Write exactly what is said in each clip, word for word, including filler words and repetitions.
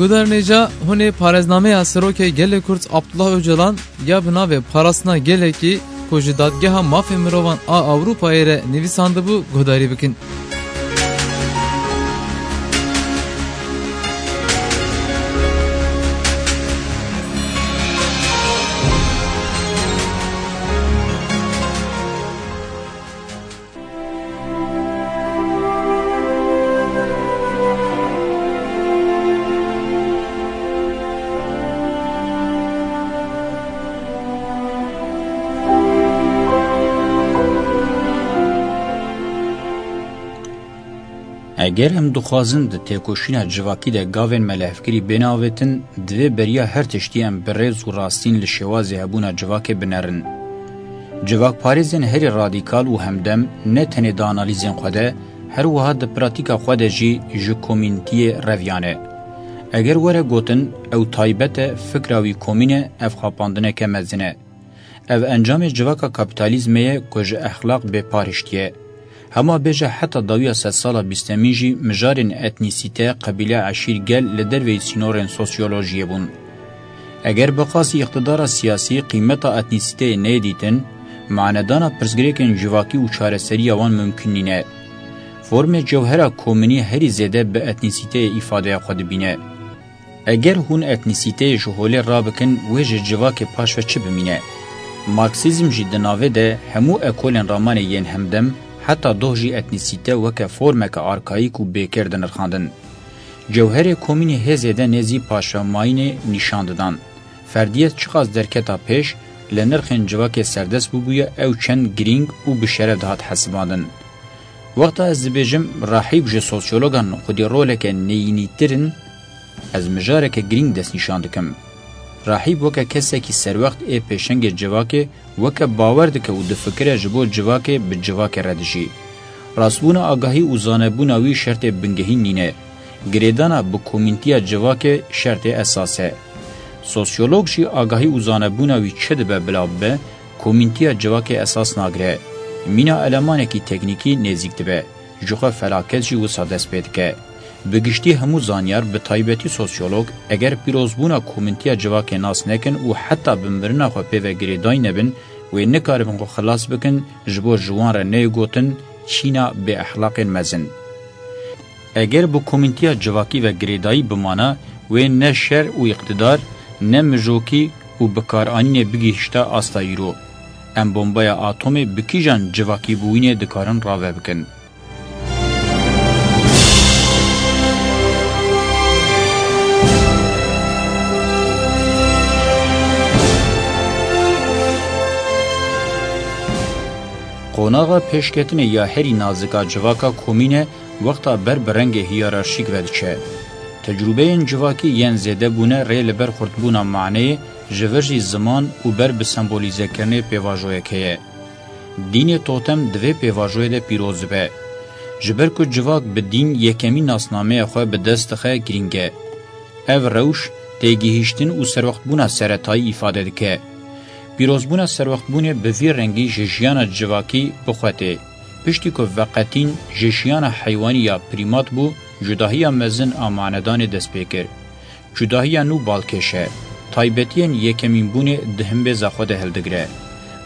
Guhdarên hêja, hûn ê parêznameya Serokê Gelê Kurd Abdullah Ocalan ya bi navê Parastina Gelekî ku ji Dadgeha Mafê Mirovan a Ewropayê re nivîsandibû guhdarî bikin. Eger em dixwazin di têkoşîna civakî de gavên me li hevkirî bêne avêtin, divê beriya her tiştî em bi rêz û rastîn li şêwazê hebûna civakê binerin. Civakparêzên herî radîkal û hemdem ne tenê di analîzên xwe de, her wiha di pratîka xwe de jî ji komînitiyê reviyane. Eger were gotin, ew taybet e, fikra wî komîn e, ev xapandineke mezin e. Ev encamê civaka kapîtalîzmê ye ku ji exlaq bê pariştî ye. Hema bêje heta dawiya sedsala bîstemîn jî mijarên etnîsîte, qebîle, eşîr, gel li derveyî sînorên sosyolojiyê bûn. Eger bi qasî îqtidara siyasî qîmeta etnîsîteyê neyê dîtin, manedana pirsgirêkên civakî û çareseriya wan mimkun nîne. Formê cewhera komînî herî zêde bi etnîsîteyê îfadeya xwe dibîne. Eger hûn etnîsîteyê ji holê rabikin, wê ji civakê paş ve çi bimîne? Marksîzm jî di navê de hemû ekolên ramanê yên hemdem, heta doh jî etnîsîte weke formeke arkayîk û bêkêr dinirxandin. Cewherê komînî hê zêde nêzî paşvemayînê nîşan didan. Ferdiyet çiqas derketa pêş, li nirxên civakê serdest bûbûye, ew çend girîng û bi şeref dihat hesibandin. Wexta ez dibêjim, rahîb ji sosyologan xwedî roleke neyînîtir in, ez mijareke girîng destnîşan dikim. Rahîb weke kesekî serwext ê pêşengê civakê, weke bawer dike û difikire ji bo civakê bi civakê re dijî. Rastbûna agahî û zanebûna wî şertê bingehîn nîne. Girêdana bi komîntiya civakê şertê esas e. Sosyolog jî agahî û zanebûna wî çi dibe bila bibe, komîntiya civakê esas nagire. Mîna elemanekî teknîkî nêzîk dibe. Ji xwe felaket jî wisa dest pê dike. Bi giştî hemû zanyar, bi taybetî sosyolog, eger pîrozbûna komîntiya civakê nas nekin û heta bi mirina xwe pê ve girêdayî nebin, wê nikaribin xwe xilas bikin, ji bo ji wan re neyê gotin çîna bêexlaqên mezin. Eger bi komîntiya civakî ve girêdayî bimana, wê ne şer û îqtidar, ne mijokî û bikaranînê bigihişta asta îro. Em bombaya atomê bi kîjan civakîbûyînê dikarin rave bikin? Qonaxa pêşketinê ya herî nazik a civaka komîn e, wexta ber bi rengê hiyerarşîk ve diçe. Tecrûbeyên civakî yên zêde bûne rê li ber xurtbûna maneyê, ji vir jî ziman û ber bi sembolîzekirinê pêvajoyek heye. Dînê totem di vê pêvajoyê de pîroz dibe. Ji ber ku civak bi dîn yekemîn nasnameya xwe bi dest dixe, girîng e. Ev rewş têgihîştin û serwextbûna seretayî îfade dike. Pîrozbûna serwextbûnê bi vî rengî ji jiyana civakî bi xwe tê. Piştî ku veqetîn ji jiyana heywanî ya prîmat bû, cudahiya mezin a manedanê dest pê kir. Cudahiya nû balkêş e. Taybetiyên yekemînbûnê di himbêza xwe de hildigire.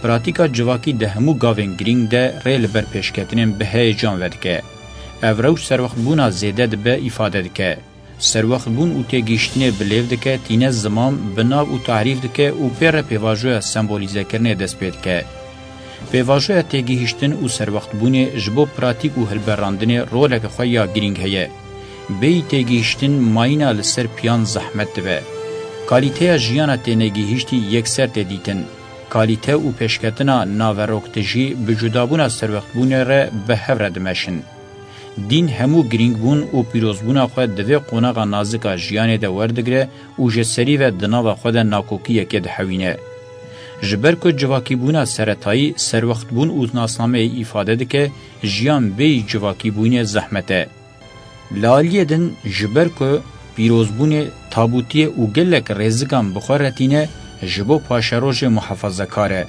Pratîka civakî di hemû gavên girîng de rê li ber pêşketinên bi heyecan vedike. Ev rewş serwextbûna zêde dibe îfade dike. Serwextbûn û têgihiştinê bi lêv dike, tîne ziman bi nav û tarîf dike û pê re pêvajoya sembolîzekirinê dest pê dike. Pêvajoya têgihiştin û serwextbûnê ji bo pratîk û hilberandinê roleke xwe ya girîng heye. Bêyî têgihiştin mayîna li ser piyan zehmet dibe. Kalîteya jiyana tênegihiştî yekser tê dîtin. Kalîte û pêşketina naveroktijî bi cudabûna serwextbûnê re bi hev re dimeşin. Dîn hemû girîngbûn û pîrozbûna xwe di vê qonaxa nazik a jiyanê de werdigire û ji serî ve di nava xwe de nakokiyekê dihewîne. Ji ber ku civakîbûna seretayî serwextbûn û nasnameyê îfade dike, jiyan bêyî civakîbûnê zehmet e. Li aliyê din, ji ber ku pîrozbûnê tabûtiyê û gelek rêzikan bi xwe re tîne, ji bo paşerojê muhafazekar e.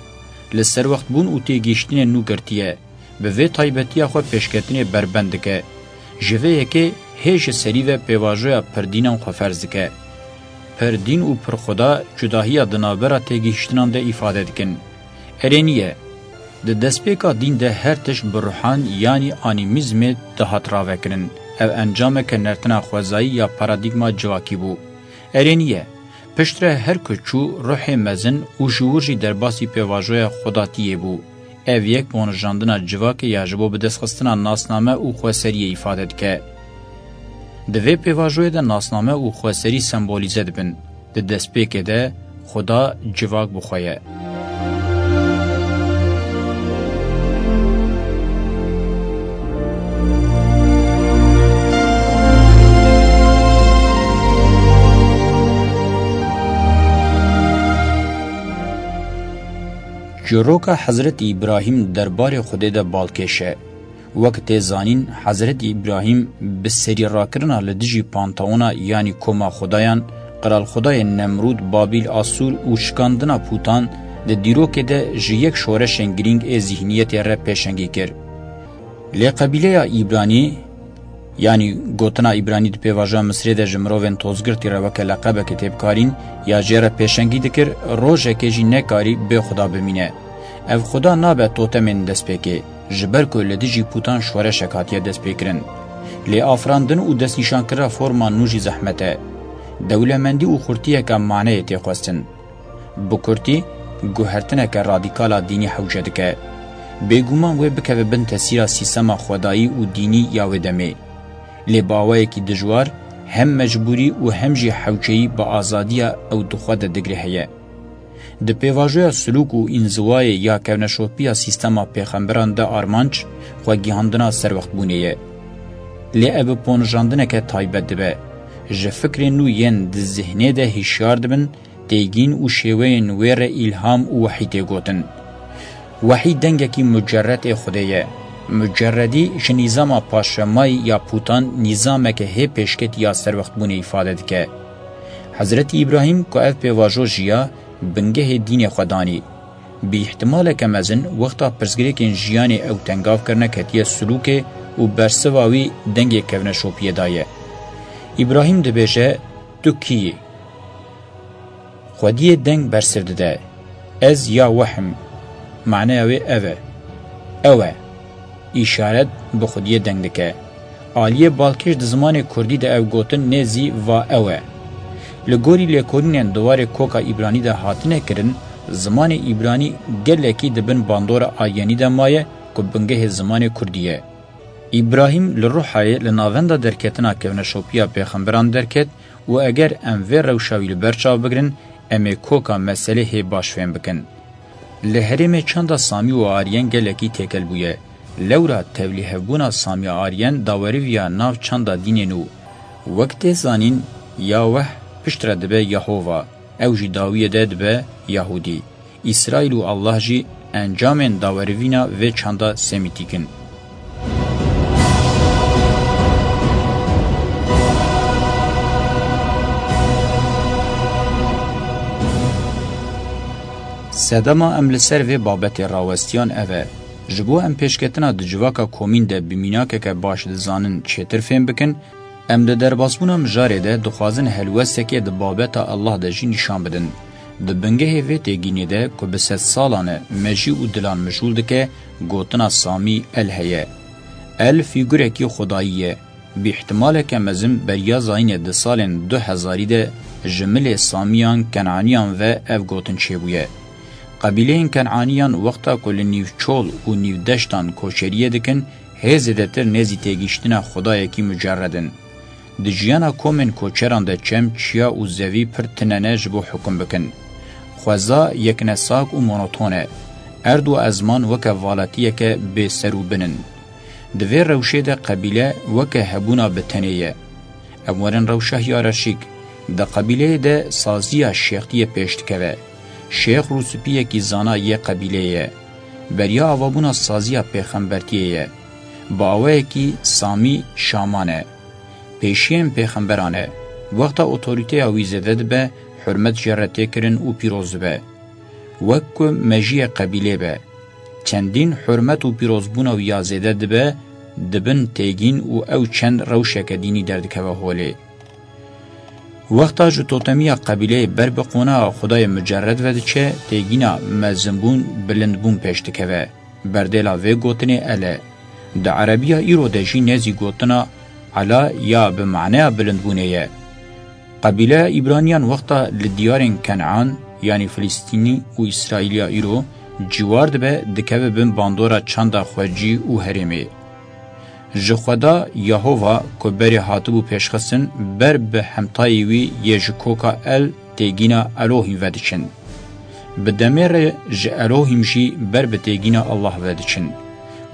Li serwextbûn û têgihiştinê nû girtiye. Bi vê taybetiya xwe pêşketinê berbend dike. Ji vê yekê hê ji serî ve pêvajoya pirdînan xwe ferz dike. Pirdîn û pirxweda cudahiya di navbera têgihiştinan de îfade dikin. Erê nî ye. Di destpêka dîn de her tişt bi ruhan yanî anîmîzmê dihat ravekirin. Ev encameke nertina xwezayî ya paradîgma civakî bû. Erê nî ye. Piştre her ku çû ruhê mezin û ji wir jî derbasî pêvajoya xwedatiyê bû. Ev yek bonijandina civakê ya ji bo bidestxistina nasname û xweseriyê îfade dike. Di vê pêvajoyê de nasname û xweserî sembolîze dibin. Di destpêkê de Xuda civak bi xwe ye. Çîroka Hezretî Îbrahîm derbarê Xwedê de balkêş e. Wek tê zanîn, Hezretî Îbrahîm bi serî rakirina li dijî Panteona, yanî koma xudayan, qiralxudayên Nemrûd, Babîl, Asûr û şikandina pûtan di dîrokê de ji yek şoreşên girîng ê zîhniyetê re pêşengî kir. Lê qebîleya Îbranî, yanî gotina Îbranî di pêvajoya Misirê de ji mirovên tozgirtî re weke leqebekê tê bikarîn, ya jê re pêşengî dikir, rojekê jî nekarî bê xuda bimîne. Ev xuda nabe totemên destpêkê, ji ber ku li dijî pûtan şoreşek hatiye destpêkirin. Lê afirandin û destnîşankirina forma nû jî zehmet e. Dewlemendî û xurtiyeke maneyê tê xwestin. Bi kurtî, guhertineke radîkal a dînî hewce dike. Bêguman wê bikeve bin tesîra sîstema xwedayî û dînî ya wê demê. Lê bi awayekî dijwar, hem mecbûrî û hem jî hewceyî bi azadiya ew di xwe de digre heye. Di pêvajoya silûk û înziwayê ya kevneşopiya sîstema pêxemberan de armanc xwegihandina serwextbûnê ye. Lê ev bi ponijandineke taybet dibe. Ji fikrên nû yên di zihnê de hişyar dibin, têgîn û şêweyên wê re îlham û wehî tê gotin. Wehî dengekî mucerred ê Xwedê ye. Mucerredî ji nîzama paşvemayî ya pûtan nîzameke hê pêşketî ya serwextbûnê îfade dike. Hezretî Îbrahîm ku ev pêvajo jiya, bingehê dînê xwe danî. Bi îhtimaleke mezin wexta pirsgirêkên jiyanê ew tengav kirine ketiye silûkê û bersiva wî dengê kevneşopiyê daye. Îbrahîm dibêje, "Tu kî yî?" Xwediyê deng bersiv dide. "Ez Yahweh im." Maneya wê ev e. Ew e. Îşaret bi Xwediyê deng dike. Aliyê balkêş di zimanê kurdî de ev gotin nêzî va ew e. Li gorî lêkolînên di warê koka Îbranî de hatine kirin, zimanê Îbranî gelekî di bin bandora Aryenî de maye ku bingehê zimanê kurdî ye. Îbrahîm li Ruhayê li navenda derketina kevneşopiya pêxemberan derket û eger em vê rewşa wî li ber çav bigrin, em ê koka meselê hê baş fêm bikin. Li herêmê çanda Samî û Aryen gelekî têkel bûye. Lewra tevlîhevbûna Samî Aryen daweriviya nav çanda dînê nû. Wek tê zanîn, Yahweh piştre dibe Yehova. Ew jî dawiyê de dibe Yahûdî. Îsraîl û Allah jî encamên dawerivîna vê çanda semîtîk in. Sedema em li ser vê babetê rawestiyan ev e. Ji bo em pêşketina di civaka komîn de bi mînakeke baş dizanin çêtir fêm bikin, em di derbasbûna mijarê de dixwazin helwestekê di babeta Allah de jî nîşan bidin. Di bingehê vê têgînê de ku bi sedsalan e mejî û dilan mijûl dike, gotina Samî El heye. El fîgurekî xwedayî ye. Bi îhtimaleke mezin beriya zayînê di salên du hezarî de ji milê Samiyan, Kenaniyan ve ev gotin çêbûye. Qebîleyên Kenaniyan wexta ku li nîvçol û nîvdeştan koçeriyê dikin, hê zêdetir nêzî têgihiştina xwedayekî mucerred in. Di jiyana komên koçeran de çem, çiya û zevî pir tune ne ji bo hukum bikin. Xweza yeknesak û monoton e. Erd û ezman weke valetiyeke bê ser û bin in. Di vê rewşê de qebîle weke hebûna bi tenê ye. Em werin rewşa hiyerarşîk. Di qebîleyê de saziya şêxtiyê pêş dikeve. Şêx rûspiyekî zana yê qebîleyê ye. Beriya avabûna saziya pêxembertiyê ye. Bi awayekî Samî şaman e. Pêşiyên pêxemberan e. Wexta otorîteya wî zêde dibe, hurmet jê re tê kirin û pîroz dibe. Wek ku mejiyê qebîlê be. Çendîn hurmet û pîrozbûna wî ya zêde dibe, dibin têgîn û ew çend rewşeke dînî derdikeve holê. Wexta ji totemiya qebîleyê ber bi qonaxa Xwedayê mucerred ve diçe, têgîna mezinbûn, bilindbûn pêş dikeve. Berdêla vê gotinê El e. Di erebiya îro de jî nêzî gotina Ela ya bi maneya bilindbûnê ye. Qebîleya Îbraniyan wexta li diyarên Kenan, yanî Filistînî û Îsraîliya îro, ciwar dibe, dikeve bin bandora çanda xwecî û herêmê. Ji Xweda Yehova ku berê hatibû pêşxistin, ber bi hemtayê wî yê ji koka El têgîna Elohîm vediçin. Bi demê re ji Elohîm jî ber bi têgîna Allah vediçin.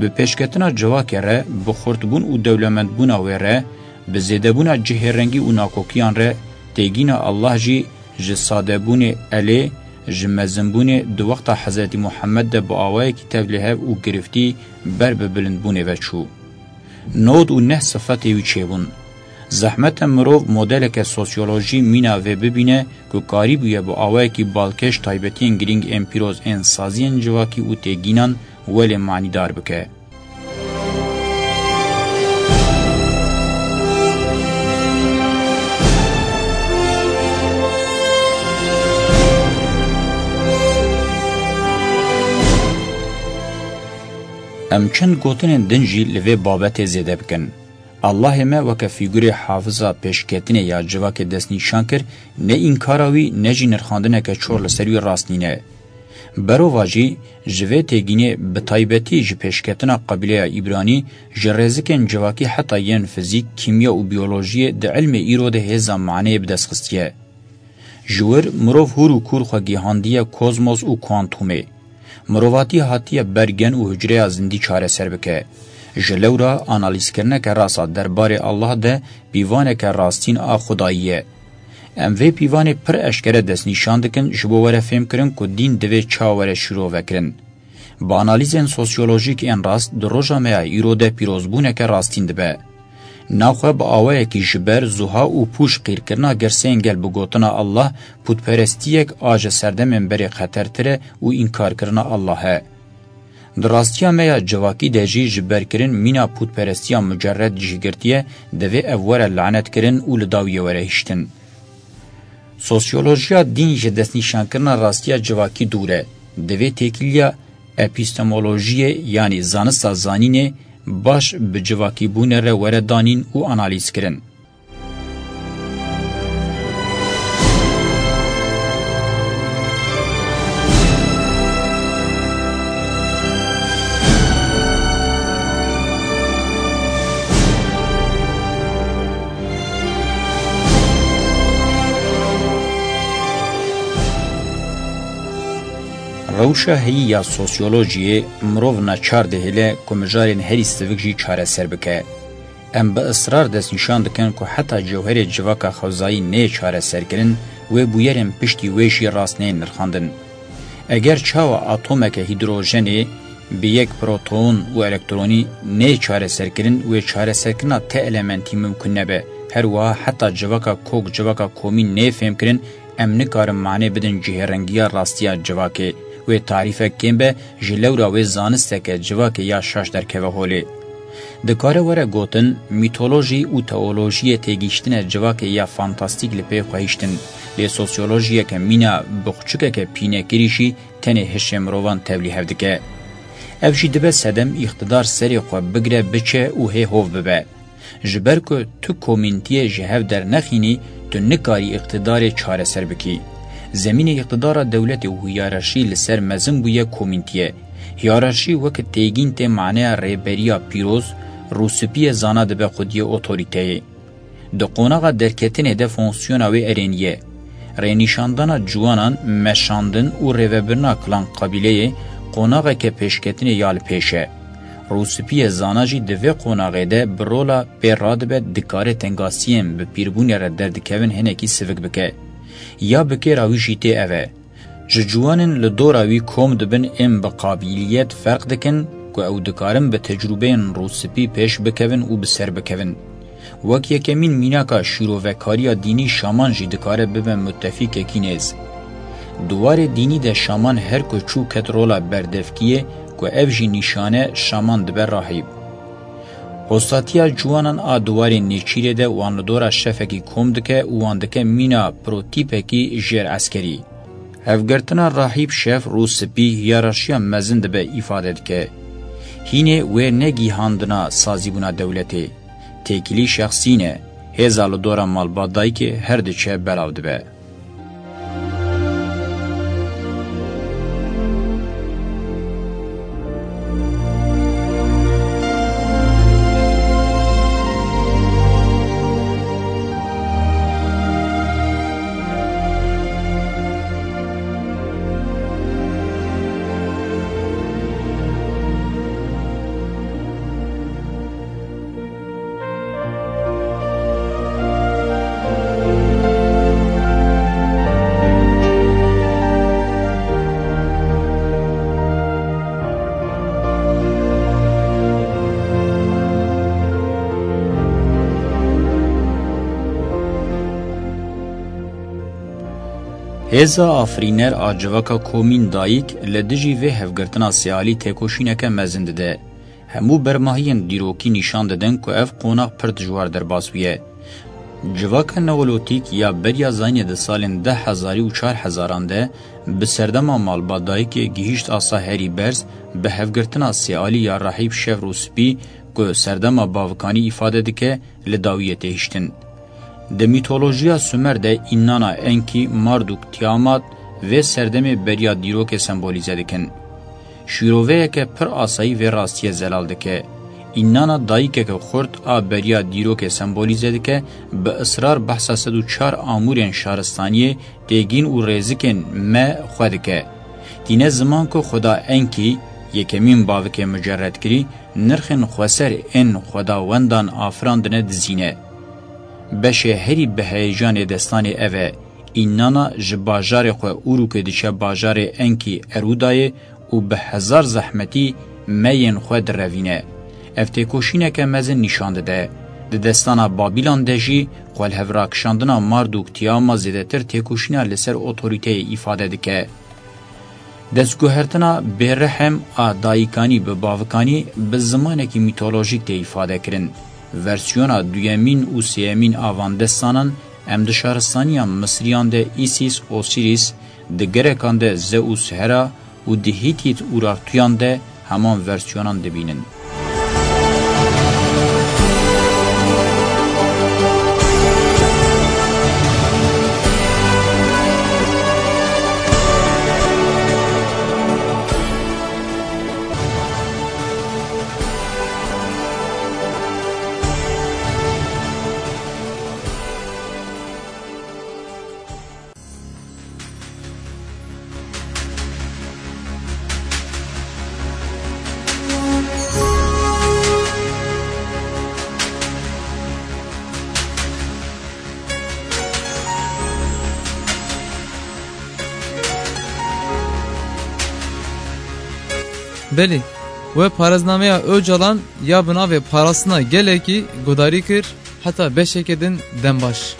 Bi pêşketina civakê re, bi xurtbûn û dewlemendbûna wê re, bi zêdebûna cihêrengî û nakokiyan re, têgîna Allah jî ji sadebûnê Elê, ji mezinbûnê di wexta Hezretî Muhammed de bi awayekî tevlîhev û giriftî ber bi bilindbûnê ve çû. Nod û neh sifetê wî çêbûn. Zehmet e mirov modeleke sosyolojî mîna vê bibîne ku karîbûye bi awayekî balkêş taybetiyên girîng ên pîroz ên saziyên civakî û têgînan welê manîdar bike. Em çend gotinên din jî li vê babetê zêde bikin. Allahê me weke fîgurê hafiza pêşketinê ya civakê destnîşan kir, ne înkara wî ne jî nirxandineke çor li ser wî rast nîne. Berova jî ji vê têgînê, bi taybetî ji pêşketina qebîleya Îbranî, ji rêzikên civakî heta yên fizîk, kîmya û biyolojiyê di ilmê îro de hêza maneyê bi dest xistiye. Ji wir mirov hûr û kûr xwe gihandiye kozmos û kuantumê. Mirovatî hatiye ber gen û hucreya zindî çareser bike. Ji lewra analîzkirineke rast a derbarê Allah de pîvaneke rastîn a Xwedayî ye. Em vê pîvanê pir eşkere destnîşan dikin ji bo were fêmkirin ku dîn divê çawa were şîrovekirin. Bi analîzên sosyolojîk ên rast di roja me ya îro de pîrozbûneke rastîn dibe. Naxwe bi awayekî ji ber zuha û pûç qîrkirina girseyên gel bi gotina Allah, pûtperestiyek a ji serdemên berê xetertir e û înkarkirina Allah e. Di rastiya me ya civakî de jî ji berkirin mîna pûtperestiya mucerred cih girtiye, divê ev were lanetkirin û li dawiyê were hiştin. Sosyolojiya dîn ji destnîşankirina rastiya civakî dûr e. Divê têkiliya epistemolojiyê, yanî zanista zanînê, baş bi civakîbûnê re were danîn û analîzkirin. Rewşa heyî ya sosyolojiyê mirov naçar dihêle ku mijarên herî sivik jî çareser bike. Em bi israr destnîşan dikin ku heta cewherê civaka xewzayî neyê çareserkirin, wê bûyerên piştî wê jî rast neyên nirxandin. Eger çawa atomeke hîdrojenê bi yek proton û elektronî neyê çareserkirin, wê çareserkirina ti elementî mimkun nebe. Her wiha heta civaka kok, civaka komî neyê fêmkirin, em nikarin mane bidin cihêrengiya rastiya civakê, wê tarîfek kêm be, ji lewra wê zanisteke civakê ya şaş derkeve holê. Dikare were gotin, mîtolojî û teolojiyê têgihiştine civakê ya fantastîk li pê xwe hiştin, lê sosyolojiyeke mîna bi xuçikeke pînekirî jî tenê hişê mirovan tevlîhev dike. Ev jî dibe sedem îqtidar serê xwe bigire, biçe û hê hov bibe. Ji ber ku tu komîntiyê ji hev dernexînî, tu nikarî îqtidarê çareser bikî. Zemînê îqtidara dewletê û hiyerarşî li ser mezin bûye komîntiyê. Hiyerarşî weke têgîn tê maneya rêberiya pîroz, rûspiyê zana dibe xwediyê otorîteyê. Di qonaxa derketinê de fonksiyona wê erênî ye. Rênîşandana ciwanan, meşandin û rêvebirina kilan qebîleyê qonaxeke pêşketinê ya li pêş e. Rûspiyê zana jî di vê qonaxê de bi rola pê radibe, dikare tengasiyên bi pîrbûnê re derdikevin hinekî sivik bike. Ya bi kêra wî jî tê ev e. Ji ciwanên li dora wî kom dibin ên bi qabîliyet ferq dikin ku ew dikarin bi tecrûbeyên rûspî pêş bikevin û bi ser bikevin. Wek yekemîn mînaka şîrovekariya dînî şaman jî dikare bibe mutefîkekî nêz. Di warê dînî de şaman her ku çû ket rola berdevkiyê ku ev jî nîşane şaman dibe rahîb. Hostatiya ciwanan a di warê nêçîrê de wan li dora şefekî kom dike û wan dike mîna protîpekî jêr eskerî. Hevgirtina Rahîb Şef Rûspî hiyerarşiya mezin dibe îfade dike. Hînê wê ne gihandina sazîbûna dewletê. Têkilî şexsî ne. Hêza li dora malbat dayikê her diçe belav dibe. Hêza afirîner a civaka komîn dayik li dijî vê hevgirtina sêalî têkoşîneke mezin dide. Hemû bermahiyên dîrokî nîşan didin ku ev qonax pir dijwar derbas bûye. Civaka Neolotîk ya beriya zayînê di salên deh hezarî û çar hezaran de bi serdema malbat dayikê gihîşt asa herî berz, bi hevgirtina sêalî ya Rahîb Şef Rûspî ku serdema bavikanî îfade dike, li dawiyê tê hiştin. Di mîtolojiya Sumer de Înnana, Enkî, Marduk, Tiamat vê serdemê beriya dîrokê sembolîze dikin. Şîroveyeke pir asayî vê rastiyê zelal dike. Înnana dayikeke xurt a beriya dîrokê sembolîze dike, bi israr behsa sed û çar amûrên şaristaniyê, têgîn û rêzikên me xwe dike. Tîne ziman ku Xweda Enkî, yekemîn bavikê mucerredkirî, nirxên xweser ên xwedawendan afirandine dizîne. Beşê herî bi heyecanê destanê ev e. Înnana ji bajarê xwe Urukê diçe bajarê Enkî Erûdayê û bi hezar zehmetî meyên xwe direvîne. Ev têkoşîneke mezin nîşan dide. Di destana Babîlan de jî xwelhevrakişandina Mardûk Tiyama zêdetir têkoşîna li ser otorîteyê îfade dike. Destguhertina bêrehem a dayikanî bi bavikanî bi zimanekî mîtolojîk tê îfade kirin. Versiyona duyemîn û sêyemîn a van destanan em di şaristaniya Misriyan de Îsîs, Osîrîs, di gerekan de Zeus, Hera û di Hîtît Urartuyan de heman versiyonan dibînin. Belê, we parêznameya Ocalan ya bi navê Parastina Gelekî guhdarî kir, heta beşeke din dem baş.